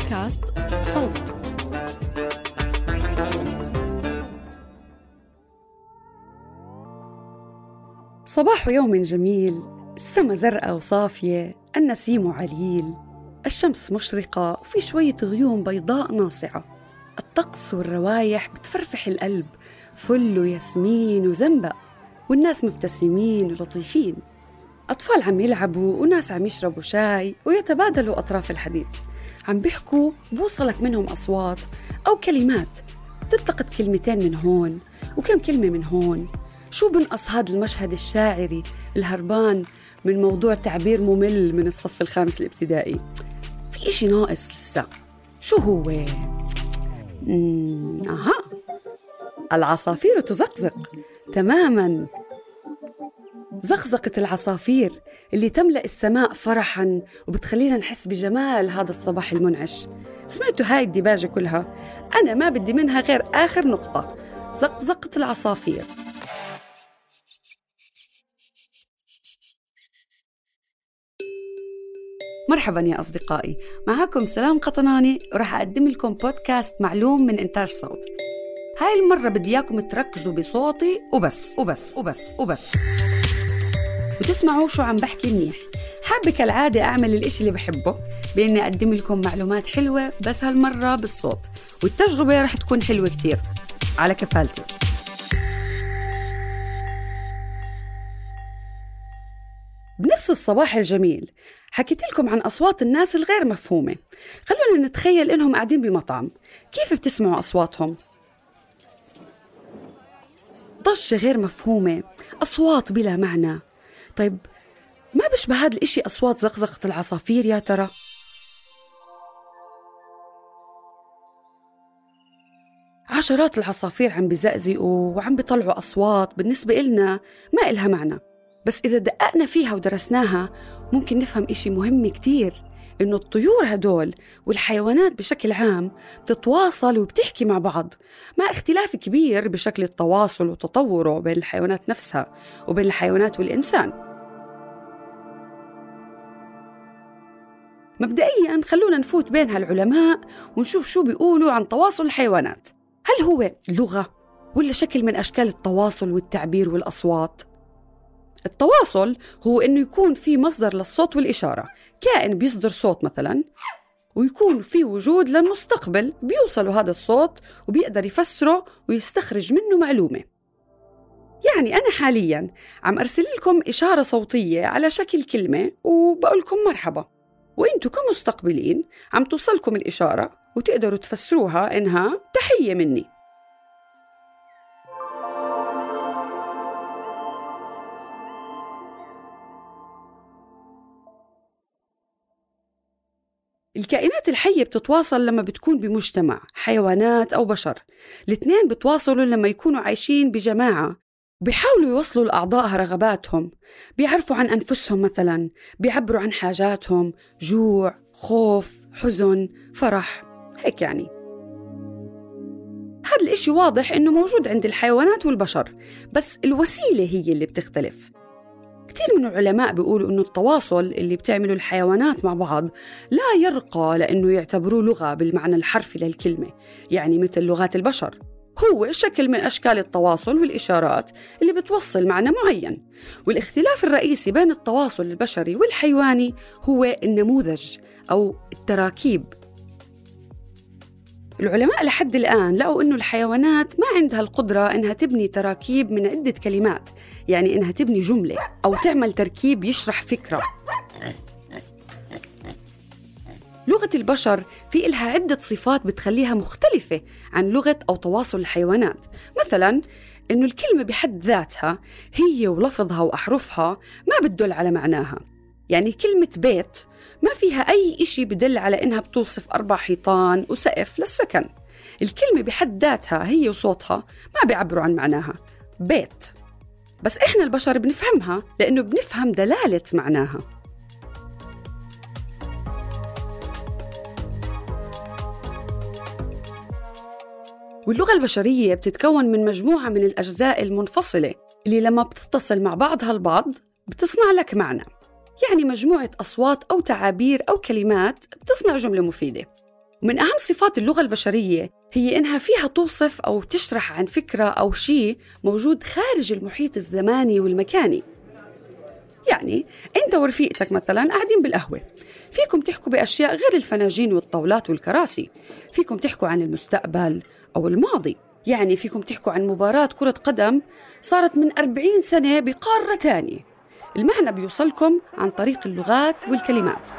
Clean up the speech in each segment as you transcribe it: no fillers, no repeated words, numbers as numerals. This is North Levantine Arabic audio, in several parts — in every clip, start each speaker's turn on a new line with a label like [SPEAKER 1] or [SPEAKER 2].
[SPEAKER 1] بودكاست صوت.
[SPEAKER 2] صباح يوم جميل، السما زرقاء وصافية، النسيم عليل، الشمس مشرقة وفي شوية غيوم بيضاء ناصعة. الطقس والروايح بتفرفح القلب، فل وياسمين وزنبق، والناس مبتسمين ولطيفين. أطفال عم يلعبوا وناس عم يشربوا شاي ويتبادلوا أطراف الحديث، عم بيحكوا بوصلك منهم أصوات أو كلمات، تلتقط كلمتين من هون وكم كلمة من هون. شو بنقص هذا المشهد الشاعري الهربان من موضوع تعبير ممل من الصف الخامس الابتدائي؟ في إشي ناقص لسه. شو هو؟ العصافير تزقزق. تماماً، زقزقة العصافير اللي تملأ السماء فرحاً وبتخلينا نحس بجمال هذا الصباح المنعش. سمعتوا هاي الديباجة كلها؟ أنا ما بدي منها غير آخر نقطة: زقزقة العصافير. مرحباً يا أصدقائي، معاكم سلام قطناني، ورح أقدم لكم بودكاست معلوم من إنتاج صوت. هاي المرة بدي إياكم تركزوا بصوتي وبس وبس وبس وبس وتسمعوا شو عم بحكي منيح. حابة كالعادة أعمل الإشي اللي بحبه، بإني أقدم لكم معلومات حلوة، بس هالمرة بالصوت، والتجربة رح تكون حلوة كتير على كفالتي. بنفس الصباح الجميل حكيت لكم عن أصوات الناس الغير مفهومة. خلونا نتخيل إنهم قاعدين بمطعم. كيف بتسمعوا أصواتهم؟ ضجة غير مفهومة، أصوات بلا معنى. طيب، ما بشبه هذا الإشي أصوات زقزقة العصافير يا ترى؟ عشرات العصافير عم بزقزقوا وعم بيطلعوا أصوات بالنسبة إلنا ما إلها معنى، بس إذا دققنا فيها ودرسناها ممكن نفهم إشي مهم كتير، إنه الطيور هدول والحيوانات بشكل عام بتتواصل وبتحكي مع بعض، مع اختلاف كبير بشكل التواصل وتطوره بين الحيوانات نفسها وبين الحيوانات والإنسان. مبدئياً خلونا نفوت بين هالعلماء ونشوف شو بيقولوا عن تواصل الحيوانات. هل هو لغة ولا شكل من أشكال التواصل والتعبير والأصوات؟ التواصل هو إنه يكون في مصدر للصوت والإشارة، كائن بيصدر صوت مثلاً، ويكون في وجود للمستقبل بيوصل هذا الصوت وبيقدر يفسره ويستخرج منه معلومة. يعني أنا حالياً عم أرسل لكم إشارة صوتية على شكل كلمة وبقول لكم مرحبا، وإنتوا كمستقبلين عم توصلكم الإشارة وتقدروا تفسروها إنها تحية مني. الكائنات الحية بتتواصل لما بتكون بمجتمع، حيوانات أو بشر. الاثنين بتواصلوا لما يكونوا عايشين بجماعة، بيحاولوا يوصلوا لأعضائها رغباتهم، بيعرفوا عن أنفسهم مثلاً، بيعبروا عن حاجاتهم، جوع، خوف، حزن، فرح، هيك يعني. هذا الإشي واضح إنه موجود عند الحيوانات والبشر، بس الوسيلة هي اللي بتختلف. كتير من العلماء بيقولوا إنه التواصل اللي بتعمله الحيوانات مع بعض لا يرقى لأنه يعتبروه لغة بالمعنى الحرفي للكلمة، يعني مثل لغات البشر. هو شكل من أشكال التواصل والإشارات اللي بتوصل معنى معين. والاختلاف الرئيسي بين التواصل البشري والحيواني هو النموذج أو التراكيب. العلماء لحد الآن لقوا إنه الحيوانات ما عندها القدرة إنها تبني تراكيب من عدة كلمات، يعني إنها تبني جملة أو تعمل تركيب يشرح فكرة. لغة البشر في إلها عدة صفات بتخليها مختلفة عن لغة أو تواصل الحيوانات. مثلاً إنه الكلمة بحد ذاتها هي ولفظها وأحرفها ما بتدل على معناها. يعني كلمة بيت ما فيها أي إشي بدل على إنها بتوصف 4 حيطان وسقف للسكن. الكلمة بحد ذاتها هي وصوتها ما بيعبروا عن معناها، بيت. بس إحنا البشر بنفهمها لأنه بنفهم دلالة معناها. واللغة البشرية بتتكون من مجموعة من الأجزاء المنفصلة اللي لما بتتصل مع بعضها البعض بتصنع لك معنى. يعني مجموعة أصوات أو تعابير أو كلمات بتصنع جملة مفيدة. ومن أهم صفات اللغة البشرية هي إنها فيها توصف أو تشرح عن فكرة أو شيء موجود خارج المحيط الزماني والمكاني. يعني أنت ورفيقتك مثلاً قاعدين بالقهوة، فيكم تحكوا بأشياء غير الفناجين والطاولات والكراسي، فيكم تحكوا عن المستقبل أو الماضي، يعني فيكم تحكوا عن مباراة كرة قدم صارت من 40 سنة بقارة تانية. المعنى بيوصلكم عن طريق اللغات والكلمات.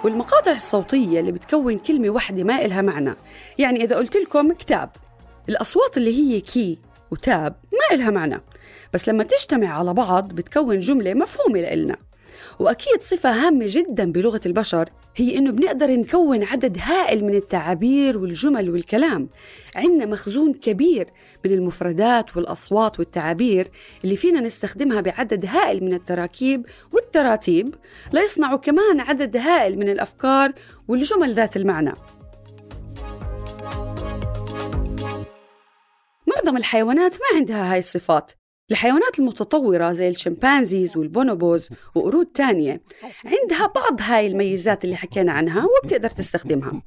[SPEAKER 2] والمقاطع الصوتية اللي بتكون كلمة واحدة ما إلها معنى، يعني إذا قلت لكم كتاب، الأصوات اللي هي كي وتاب ما إلها معنى، بس لما تجتمع على بعض بتكون جملة مفهومة لإلنا. وأكيد صفة هامة جداً بلغة البشر هي إنه بنقدر نكون عدد هائل من التعابير والجمل والكلام. عندنا مخزون كبير من المفردات والأصوات والتعابير اللي فينا نستخدمها بعدد هائل من التراكيب والتراتيب ليصنعوا كمان عدد هائل من الأفكار والجمل ذات المعنى. معظم الحيوانات ما عندها هاي الصفات. الحيوانات المتطورة زي الشمبانزيز والبونوبوز وقرود تانية عندها بعض هاي الميزات اللي حكينا عنها وبتقدر تستخدمها.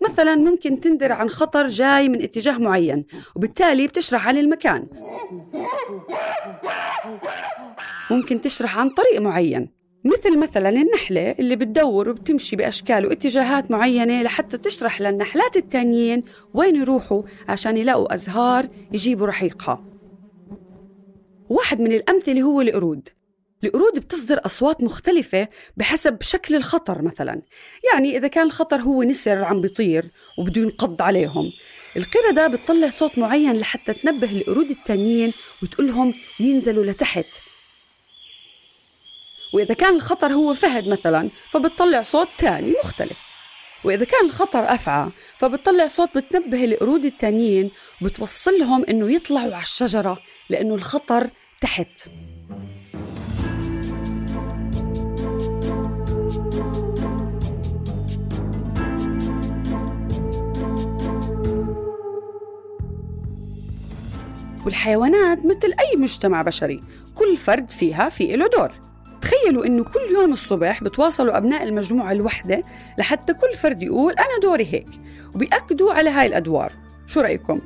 [SPEAKER 2] مثلا ممكن تندر عن خطر جاي من اتجاه معين وبالتالي بتشرح عن المكان. ممكن تشرح عن طريق معين، مثل مثلا النحلة اللي بتدور وبتمشي بأشكال واتجاهات معينة لحتى تشرح للنحلات التانيين وين يروحوا عشان يلاقوا أزهار يجيبوا رحيقها. واحد من الأمثلة هو القرود. القرود بتصدر أصوات مختلفة بحسب شكل الخطر. مثلا يعني إذا كان الخطر هو نسر عم بيطير وبده ينقض عليهم، القردة بتطلع صوت معين لحتى تنبه القرود التانيين وتقولهم ينزلوا لتحت. وإذا كان الخطر هو فهد مثلا فبتطلع صوت تاني مختلف. وإذا كان الخطر أفعى فبتطلع صوت بتنبه القرود التانيين وبتوصلهم إنه يطلعوا على الشجرة لأنه الخطر تحت. والحيوانات مثل أي مجتمع بشري، كل فرد فيها في له دور. تخيلوا إنه كل يوم الصبح بتواصلوا أبناء المجموعة الوحدة لحتى كل فرد يقول أنا دوري هيك، وبيأكدوا على هاي الأدوار. شو رأيكم؟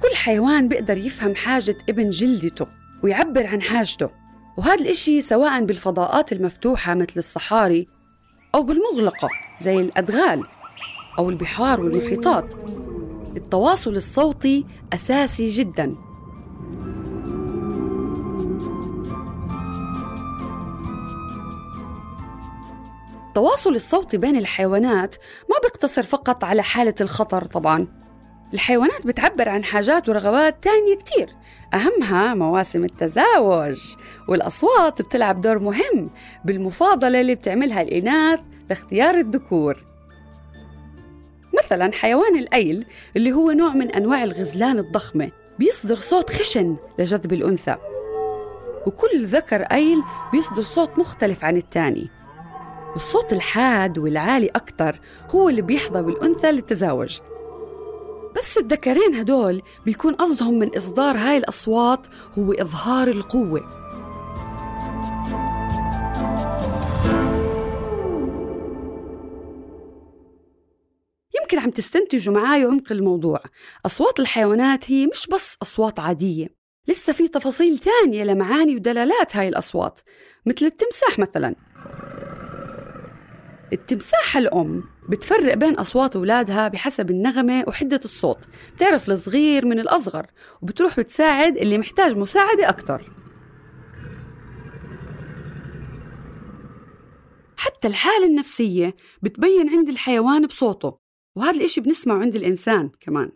[SPEAKER 2] كل حيوان بيقدر يفهم حاجة ابن جلدته ويعبر عن حاجته، وهذا الإشي سواء بالفضاءات المفتوحة مثل الصحاري أو بالمغلقة زي الأدغال أو البحار والمحيطات. التواصل الصوتي أساسي جداً. التواصل الصوتي بين الحيوانات ما بيقتصر فقط على حالة الخطر. طبعاً الحيوانات بتعبر عن حاجات ورغبات تانية كتير، أهمها مواسم التزاوج. والأصوات بتلعب دور مهم بالمفاضلة اللي بتعملها الإناث لاختيار الذكور. مثلا حيوان الأيل اللي هو نوع من أنواع الغزلان الضخمة بيصدر صوت خشن لجذب الأنثى، وكل ذكر أيل بيصدر صوت مختلف عن التاني. والصوت الحاد والعالي أكتر هو اللي بيحظى بالأنثى للتزاوج. بس الذكرين هدول بيكون قصدهم من إصدار هاي الأصوات هو إظهار القوة. يمكن عم تستنتجوا معاي عمق الموضوع. أصوات الحيوانات هي مش بس أصوات عادية، لسه في تفاصيل تانية لمعاني ودلالات هاي الأصوات. مثل التمساح مثلاً، التمساحة الأم بتفرق بين أصوات أولادها بحسب النغمة وحدة الصوت، بتعرف الصغير من الأصغر وبتروح بتساعد اللي محتاج مساعدة أكتر. حتى الحالة النفسية بتبين عند الحيوان بصوته، وهذا الإشي بنسمعه عند الإنسان كمان.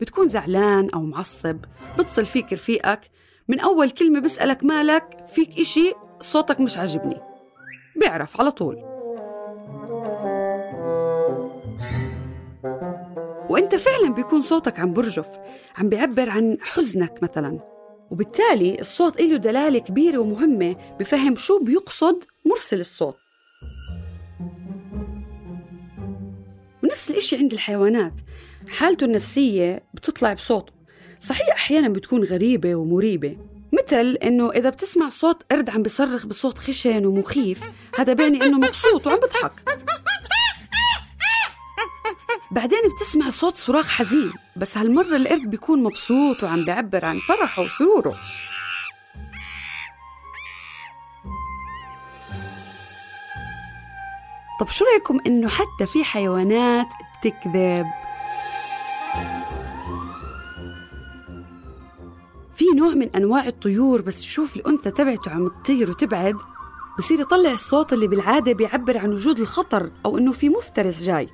[SPEAKER 2] بتكون زعلان أو معصب بتصل فيك رفيقك، من أول كلمة بسألك مالك، فيك إشي، صوتك مش عاجبني، بيعرف على طول. وإنت فعلا بيكون صوتك عم برجف، عم بيعبر عن حزنك مثلا، وبالتالي الصوت له دلالة كبيرة ومهمة بفهم شو بيقصد مرسل الصوت. ونفس الإشي عند الحيوانات، حالته النفسية بتطلع بصوته. صحيح أحيانا بتكون غريبة ومريبة، مثل إنه إذا بتسمع صوت قرد عم بيصرخ بصوت خشن ومخيف، هذا بيعني إنه مبسوط وعم بضحك. بعدين بتسمع صوت صراخ حزين، بس هالمرة القرد بيكون مبسوط وعم بيعبر عن فرحه وسروره. طب شو رأيكم إنه حتى في حيوانات بتكذب؟ في نوع من أنواع الطيور بس شوف الأنثى تبعته عم تطير وتبعد، بصير يطلع الصوت اللي بالعادة بيعبر عن وجود الخطر أو إنه في مفترس جاي.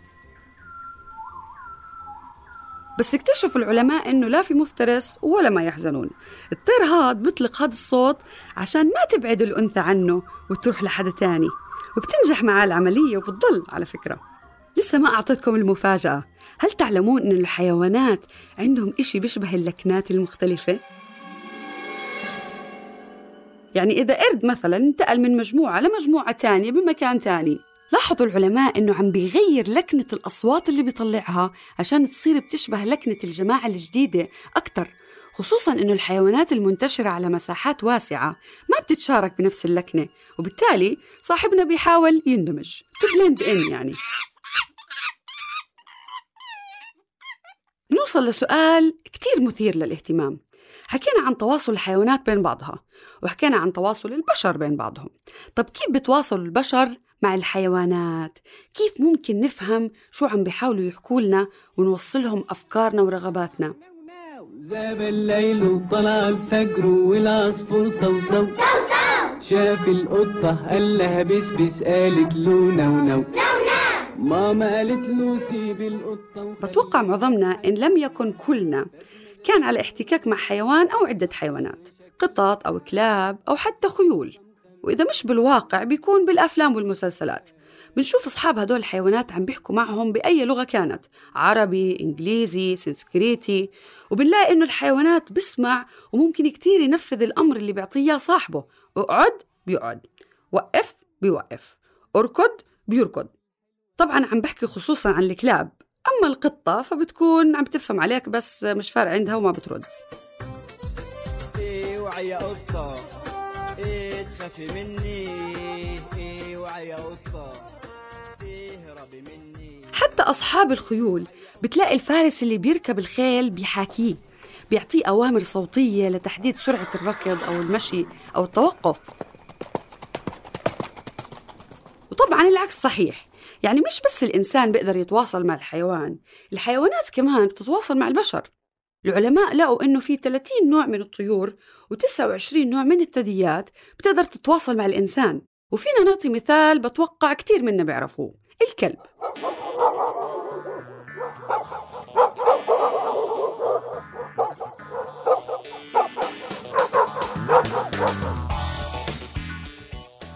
[SPEAKER 2] بس اكتشفوا العلماء إنه لا في مفترس ولا ما يحزنون. الطير هاد بيطلق هاد الصوت عشان ما تبعد الأنثى عنه وتروح لحدا تاني، وبتنجح معاه العملية وبتضل. على فكرة لسه ما أعطيتكم المفاجأة، هل تعلمون إن الحيوانات عندهم إشي بيشبه اللكنات المختلفة؟ يعني إذا قرد مثلاً انتقل من مجموعة لمجموعة تانية بمكان تاني، لاحظوا العلماء إنه عم بيغير لكنة الأصوات اللي بيطلعها عشان تصير بتشبه لكنة الجماعة الجديدة أكتر، خصوصاً إنه الحيوانات المنتشرة على مساحات واسعة ما بتتشارك بنفس اللكنة، وبالتالي صاحبنا بيحاول يندمج to blend in. يعني بنوصل لسؤال كتير مثير للاهتمام. حكينا عن تواصل الحيوانات بين بعضها، وحكينا عن تواصل البشر بين بعضهم. طب كيف بتواصل البشر مع الحيوانات؟ كيف ممكن نفهم شو عم بيحاولوا يحكوا لنا ونوصلهم أفكارنا ورغباتنا؟
[SPEAKER 1] زاب الليل وطلع الفجر والعصفور صوصو شاف القطة قال لها بسبس، قالت له نو نو. ماما قالت له سيب القطة. بتوقع معظمنا إن لم يكن كلنا كان على احتكاك مع حيوان أو عدة حيوانات، قطط أو كلاب أو حتى خيول، وإذا مش بالواقع بيكون بالأفلام والمسلسلات. بنشوف أصحاب هدول الحيوانات عم بيحكوا معهم بأي لغة كانت، عربي، إنجليزي، سنسكريتي، وبنلاقي إنه الحيوانات بسمع وممكن كتير ينفذ الأمر اللي بيعطيه صاحبه. اقعد بيقعد، وقف بيوقف، اركض بيركض. طبعاً عم بحكي خصوصاً عن الكلاب، أما القطة فبتكون عم تفهم عليك بس مش فارق عندها وما بترد.
[SPEAKER 3] إيه وعي يا قطة، إيه تخافي مني، إيه وعي يا قطة، تهربي مني.
[SPEAKER 2] حتى أصحاب الخيول بتلاقي الفارس اللي بيركب الخيل بيحاكيه، بيعطيه أوامر صوتية لتحديد سرعة الركض أو المشي أو التوقف. وطبعاً العكس صحيح، يعني مش بس الإنسان بيقدر يتواصل مع الحيوان، الحيوانات كمان بتتواصل مع البشر. العلماء لقوا إنه في 30 نوع من الطيور و29 نوع من الثدييات بتقدر تتواصل مع الإنسان. وفينا نعطي مثال بتوقع كتير منا بيعرفوه، الكلب.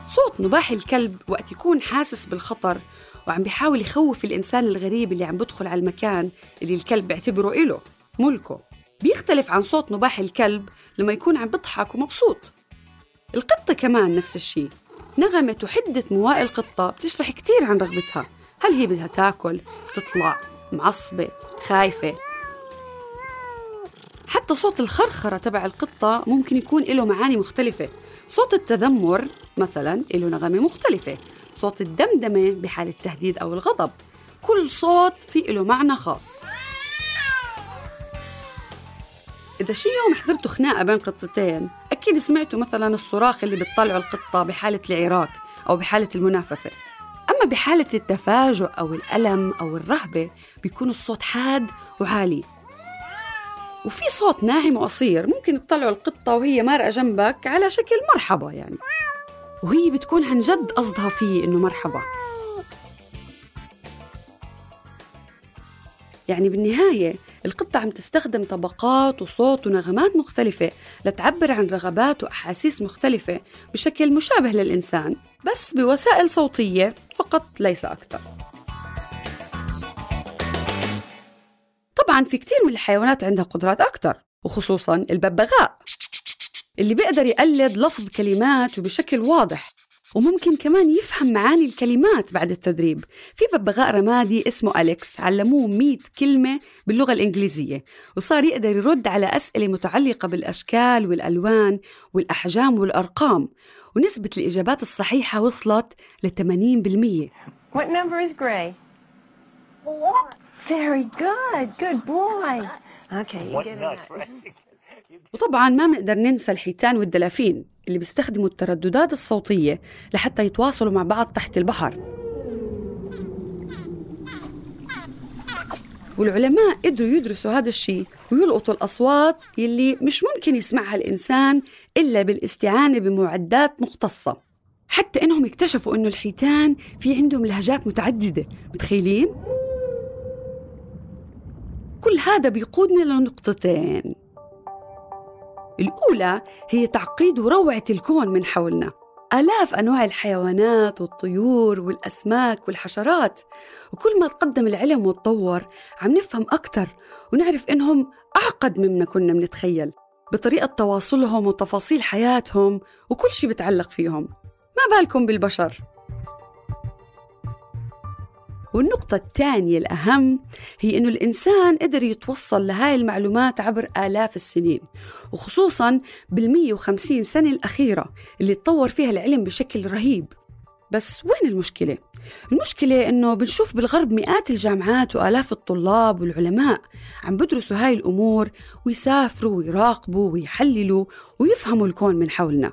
[SPEAKER 2] صوت نباح الكلب وقت يكون حاسس بالخطر وعم بيحاول يخوف الإنسان الغريب اللي عم بدخل على المكان اللي الكلب بيعتبره إله ملكه، بيختلف عن صوت نباح الكلب لما يكون عم بضحك ومبسوط. القطة كمان نفس الشيء، نغمة وحدة مواء القطة بتشرح كتير عن رغبتها، هل هي بدها تاكل، تطلع، معصبة، خايفة. حتى صوت الخرخرة تبع القطة ممكن يكون له معاني مختلفة. صوت التذمر مثلا له نغمة مختلفة، صوت الدمدمة بحال التهديد أو الغضب، كل صوت فيه له معنى خاص. إذا شي يوم حضرتوا خناقة بين قطتين أكيد سمعتوا مثلا الصراخ اللي بتطلعه القطة بحالة العراك أو بحالة المنافسة. أما بحالة التفاجؤ أو الألم أو الرهبة بيكون الصوت حاد وعالي. وفي صوت ناعم وقصير ممكن تطلعه القطة وهي مارقة جنبك على شكل مرحبا يعني، وهي بتكون عن جد قصدها فيه إنه مرحبا. يعني بالنهاية القطة عم تستخدم طبقات وصوت ونغمات مختلفة لتعبر عن رغبات وأحاسيس مختلفة بشكل مشابه للإنسان، بس بوسائل صوتية فقط ليس أكثر. طبعاً في كتير من الحيوانات عندها قدرات أكتر، وخصوصاً الببغاء اللي بيقدر يقلد لفظ كلمات وبشكل واضح. وممكن كمان يفهم معاني الكلمات بعد التدريب. في ببغاء رمادي اسمه أليكس علموه 100 كلمة باللغة الإنجليزية، وصار يقدر يرد على أسئلة متعلقة بالأشكال والألوان والأحجام والأرقام، ونسبة الإجابات الصحيحة وصلت ل80%.
[SPEAKER 4] What number is Gray? 4. Very good. Good boy. Okay, you get it.
[SPEAKER 2] وطبعاً ما بنقدر ننسى الحيتان والدلافين اللي بيستخدموا الترددات الصوتية لحتى يتواصلوا مع بعض تحت البحر. والعلماء قدروا يدرسوا هذا الشيء ويلقطوا الأصوات يلي مش ممكن يسمعها الإنسان إلا بالاستعانة بمعدات مختصة. حتى إنهم اكتشفوا إنه الحيتان في عندهم لهجات متعددة. متخيلين؟ كل هذا بيقودنا لنقطتين. الأولى هي تعقيد وروعة الكون من حولنا. آلاف أنواع الحيوانات والطيور والأسماك والحشرات، وكل ما تقدم العلم وتطور عم نفهم أكتر ونعرف إنهم أعقد مما كنا بنتخيل بطريقة تواصلهم وتفاصيل حياتهم وكل شيء بتعلق فيهم. ما بالكم بالبشر؟ والنقطة الثانية الأهم هي إنه الإنسان قدر يتوصل لهاي المعلومات عبر آلاف السنين، وخصوصاً بال150 سنة الأخيرة اللي تطور فيها العلم بشكل رهيب. بس وين المشكلة؟ المشكلة إنه بنشوف بالغرب مئات الجامعات وآلاف الطلاب والعلماء عم بدرسوا هاي الأمور ويسافروا ويراقبوا ويحللوا ويفهموا الكون من حولنا،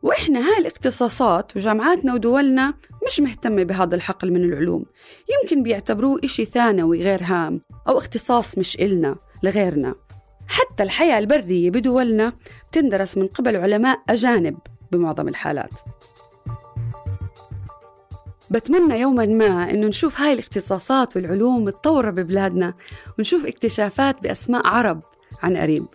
[SPEAKER 2] وإحنا هاي الاختصاصات وجامعاتنا ودولنا مش مهتمة بهذا الحقل من العلوم. يمكن بيعتبروه إشي ثانوي غير هام أو اختصاص مش إلنا لغيرنا. حتى الحياة البرية بدولنا بتندرس من قبل علماء أجانب بمعظم الحالات. بتمنى يوماً ما إنه نشوف هاي الاختصاصات والعلوم متطورة ببلادنا، ونشوف اكتشافات بأسماء عرب عن قريب.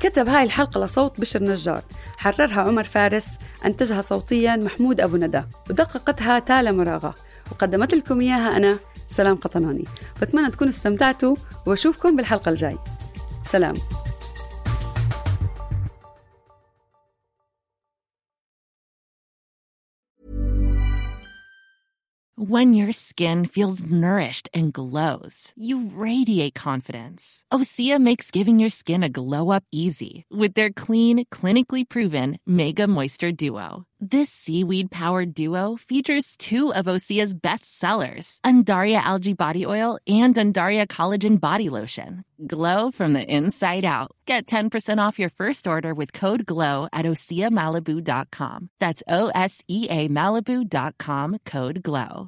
[SPEAKER 2] كتب هاي الحلقة لصوت بشر نجار، حررها عمر فارس، أنتجها صوتياً محمود أبو ندى، ودققتها تالا مراغة، وقدمت لكم إياها أنا سلام قطناني. بتمنى تكونوا استمتعتوا، وأشوفكم بالحلقة الجاي. سلام.
[SPEAKER 5] When your skin feels nourished and glows, you radiate confidence. Osea makes giving your skin a glow-up easy with their clean, clinically proven Mega Moisture Duo. This seaweed-powered duo features two of Osea's best sellers, Undaria Algae Body Oil and Undaria Collagen Body Lotion. Glow from the inside out. Get 10% off your first order with code GLOW at OseaMalibu.com. That's OSEAMalibu.com, code GLOW.